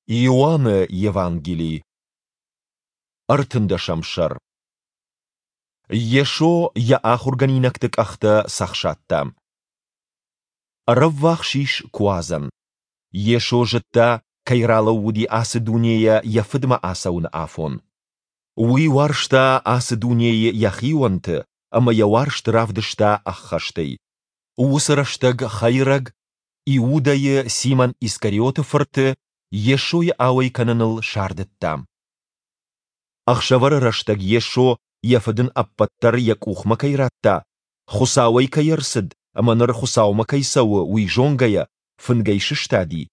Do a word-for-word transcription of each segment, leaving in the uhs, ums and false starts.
Иоанны Евангели, ӕртындӕсӕм сӕр. Йесо йӕ ахуыргӕнинӕгты къӕхтӕ цӕхсадта. Ӕрӕввахс ис Куадзӕн. Йесо зыдта, кӕй ралӕууыди ацы дунейӕ йӕ Фыдмӕ ацӕуыны афон. Уый уарзта ацы дунейы йӕхионты ӕмӕ йӕ уарзт равдыста ӕххӕстӕй. Уыцы рӕстӕг хӕйрӕг Иудӕйы, Симон Искариоты фырты, Йесойы ауӕй кӕныныл сардыдта. Ӕхсӕвӕры рӕстӕг Йесо, йӕ Фыд ын ӕппӕт дӕр йӕ къухмӕ кӕй радта, Хуыцауӕй кӕй ӕрцыд ӕмӕ ныр Хуыцаумӕ кӕй цӕуы, уый зонгӕйӕ, фынгӕй сыстади,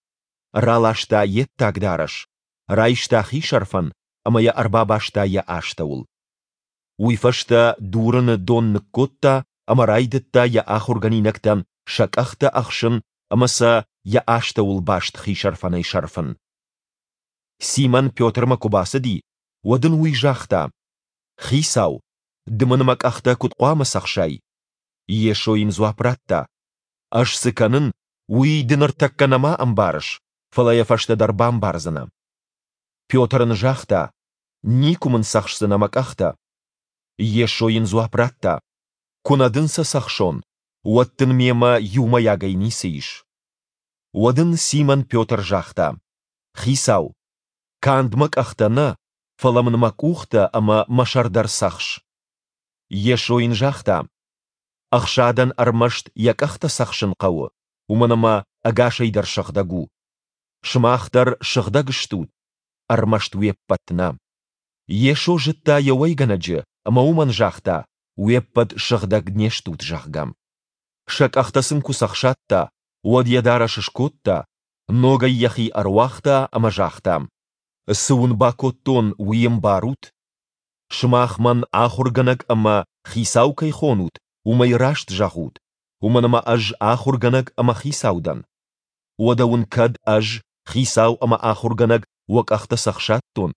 раласта йе ддаг дарӕс, райста хисӕрфӕн ӕмӕ йӕ ӕрбабаста йӕ астӕуыл. Уый фӕстӕ дурыны дон ныккодта ӕмӕ райдыдта йӕ ахуыргӕнинӕгтӕн сӕ къӕхтӕ ӕхсын ӕмӕ сӕ йӕ астӕуыл баст хисӕрфӕнӕй сӕрфын. Симон Петрмӕ куы бацыди, уӕд ын уый загъта: Хицау, ды мын мӕ къӕхтӕ куыд хъуамӕ цӕхсай? Йесо йын дзуапп радта: Ӕз цы кӕнын, уый ды ныртӕккӕ нӕма ӕмбарыс, фӕлӕ йӕ фӕстӕдӕр бамбардзынӕ. Петр ын загъта: Никуы мын цӕхсдзынӕ мӕ къӕхтӕ. Йесо йын дзуапп радта: Куы нӕ дын сӕ цӕхсон, уӕд дын мемӕ иумӕйагӕй ницы ис. Уӕд ын Симон Петр загъта: Хицау, канд мӕ къӕхтӕ нӕ, фӕлӕ мын мӕ къухтӕ ӕмӕ мӕ сӕр дӕр цӕхс. Йесо йын загъта: Ӕхсадӕн ӕрмӕст йӕ къӕхтӕ цӕхсын хъӕуы, уымӕн ӕмӕ ӕгасӕй дӕр сыгъдӕг у. Сымах дӕр сыгъдӕг стут, ӕрмӕст уе ппӕт нӕ. Йесо зыдта йӕ уӕйгӕнӕджы ӕмӕ уымӕн загъта, уе ппӕт сыгъдӕг не стут, зӕгъгӕ. Сӕ къӕхтӕ сын куы цӕхсадта, уӕд йӕ дарӕс скодта, ногӕй йӕхи ӕруагъта ӕмӕ загъта: Цы уын бакодтон, уый ӕмбарут? Сымах мӕн ахуыргӕнӕг ӕмӕ хицау кӕй хонут, уымӕй раст зӕгъут, уымӕн ӕмӕ ӕз ахуыргӕнӕг ӕмӕ хицау дӕн. Уӕдӕ уын кӕд ӕз, хицау ӕмӕ ахуыргӕнӕг, уӕ къӕхтӕ цӕхсадтон,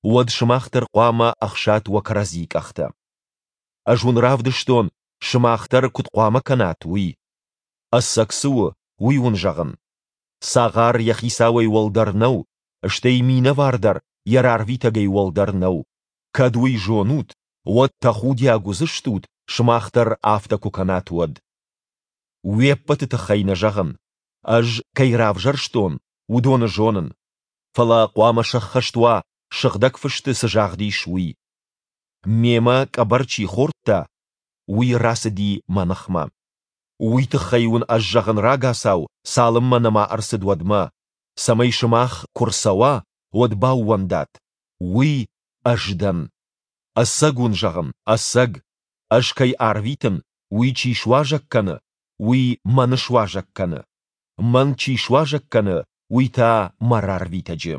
уӕд сымах дӕр хъуамӕ ӕхсат уӕ кӕрӕдзийы къӕхтӕ. Ӕз уын равдыстон, сымах дӕр куыд хъуамӕ кӕнат, уый. Ӕцӕг цы у, уый уын зӕгъын. Цагъар йӕ хицауӕй уӕлдӕр нӕу, стӕй минӕвар дӕр йӕ рарвитӕгӕй уӕлдӕр нӕу. Кӕд уый зонут, уӕд тӕхудиаг уыдзыстут, сымах дӕр афтӕ куы кӕнат, уӕд. Уе ппӕты тыххӕй нӕ зӕгъын, ӕз кӕй равзӕрстон, уыдоны зонын. Фӕлӕ хъуамӕ сӕххӕст уа, Сыгъдӕг Фысты цы загъд ис, уый: Мемӕ къӕбӕр чи хордта, уый рацыди мӕ ныхмӕ. Уый тыххӕй уын ӕз зӕгъын рагацау, цалынмӕ нӕма ӕрцыд, уӕдмӕ, цӕмӕй сымах, куы рцӕуа, уӕд баууӕндат, уый ӕз дӕн. Ӕцӕг уын зӕгъын, ӕцӕг, ӕз кӕй ӕрвитын, уый чи суазӕг кӕны, уый мӕн суазӕг кӕны. Мӕн чи суазӕг кӕны, уый та мӕ рарвитӕджы.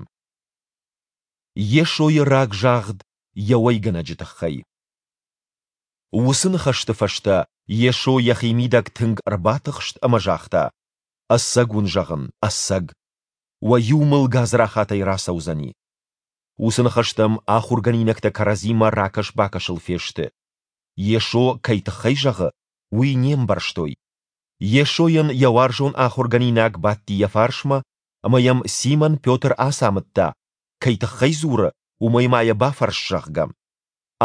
Йесойы рагзагъд йӕ уӕйгӕнӕджы тыххӕй. Уыцы ныхӕсты фӕстӕ Йесо йӕхимидӕг тынг ӕрбатыхст ӕмӕ загъта: Ӕцӕг уын зӕгъын, ӕцӕг, уӕ иу мыл гадзрахатӕй рацӕудзӕни. Уыцы ныхӕстӕм ахуыргӕнинӕгтӕ кӕрӕдзимӕ ракӕс-бакӕсыл фесты. Йесо кӕй тыххӕй зӕгъы, уый не мбӕрстой. Йесойӕн йӕ уарзон ахуыргӕнинаг бадти йӕ фарсмӕ, ӕмӕ йӕм Симон Петр ацамыдта, кӕй тыххӕй дзуры, уымӕй ма йӕ бафӕрс, зӕгъгӕ.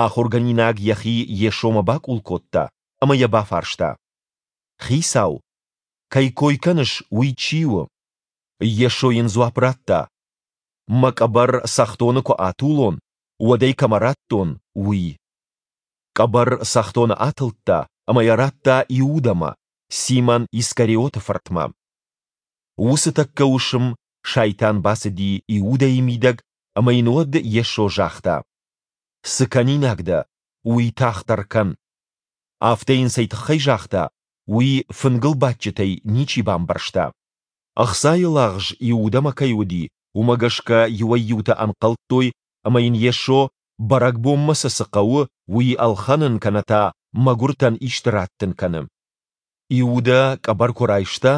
Ахуыргӕнинаг йӕхи Йесомӕ бакъул кодта ӕмӕ йӕ бафарста: Хицау, кӕй кой кӕныс, уый чи у? Йесо йын дзуапп радта: Мӕ къӕбӕр цӕхдоны куы атулон, уӕд ӕй кӕмӕ раттон, уый. Къӕбӕр цӕхдоны атылдта ӕмӕ йӕ радта Иудӕмӕ, Симон Искариоты фыртмӕ. Уыцы тӕккӕ уысм Сайтан бацыди Иудӕйы мидӕг ӕмӕ йын уӕд Йесо загъта: Цы кӕнинаг дӕ, уый тагъддӕр кӕн. Афтӕ йын цӕй тыххӕй загъта, уый фынгыл бадджытӕй ничи бамбӕрста. Ӕхцайы лагъз Иудӕмӕ кӕй уыди, уымӕ гӕсгӕ иуӕй-иутӕ ӕнхъӕлдтой, ӕмӕ йын Йесо, бӕрӕгбонмӕ сӕ цы хъӕуы, уый ӕлхӕнын кӕнӕ та мӕгуыртӕн исты раттын кӕны. Иудӕ къӕбӕр куы райста,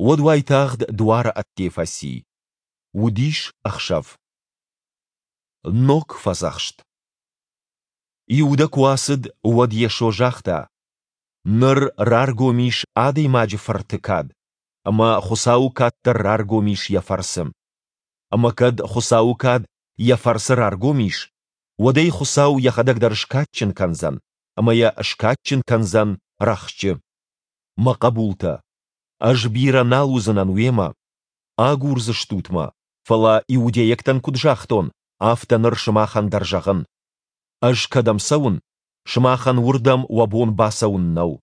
уӕд уайтагъд дуары ӕдде фӕци. Уыдис ӕхсӕв. Ног фӕдзӕхст. Иудӕ куы ацыд, уӕд Йесо загъта: Ныр раргом ис Адӕймаджы Фырты кад, ӕмӕ Хуыцауы кад дӕр раргом ис йӕ фӕрцы. Ӕмӕ кӕд Хуыцауы кад йӕ фӕрцы раргом ис, уӕд ӕй Хуыцау йӕхӕдӕг дӕр скадджын кӕндзӕн, ӕмӕ йӕ скадджын кӕндзӕн рӕхджы. Мӕ хъӕбултӕ, ӕз бирӕ нал уыдзынӕн уемӕ. Агурдзыстут мӕ, фӕлӕ иудейӕгтӕн куыд загътон, афтӕ ныр сымахӕн дӕр зӕгъын: Ӕз кӕдӕм цӕуын, сымахӕн уырдӕм уӕ бон бацӕуын нӕу.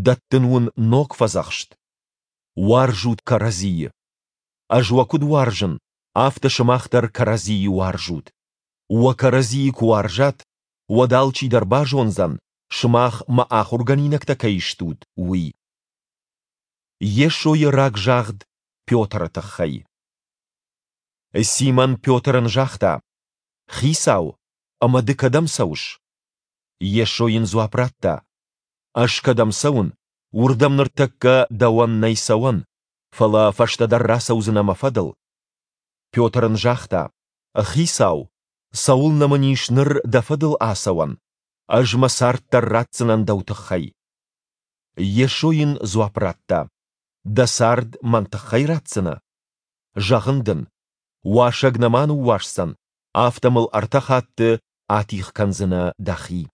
Дӕттын уын ног фӕдзӕхст: уарзут кӕрӕдзийы. Ӕз уӕ куыд уарзын, афтӕ сымах дӕр кӕрӕдзийы уарзут. Уӕ кӕрӕдзийы куы уарзат, уӕд алчидӕр базондзӕн, сымах мӕ ахуыргӕнинӕгтӕ кӕй стут, уый. Йесойы рагзагъд Петры тыххӕй. Симон Петр ын загъта: Хицау, ӕмӕ ды кӕдӕм цӕуыс? Йесо йын дзуапп радта: Ӕз кӕдӕм цӕуын, уырдӕм ныртӕккӕ дӕуӕн нӕй цӕуӕн, фӕлӕ фӕстӕдӕр рацӕудзынӕ мӕ фӕдыл. Петр ын загъта: Хицау, цӕуылнӕ мын ис ныр дӕ фӕдыл ацӕуӕн? Ӕз мӕ цард дӕр ратдзынӕн дӕу тыххӕй. Йесо йын дзуапп радта: Дӕ цард мӕн тыххӕй ратдзынӕ? Зӕгъын дын, уасӕг нӕма ныууасдзӕн, афтӕ мыл ӕртӕ хатты атигъ кӕндзынӕ дӕхи.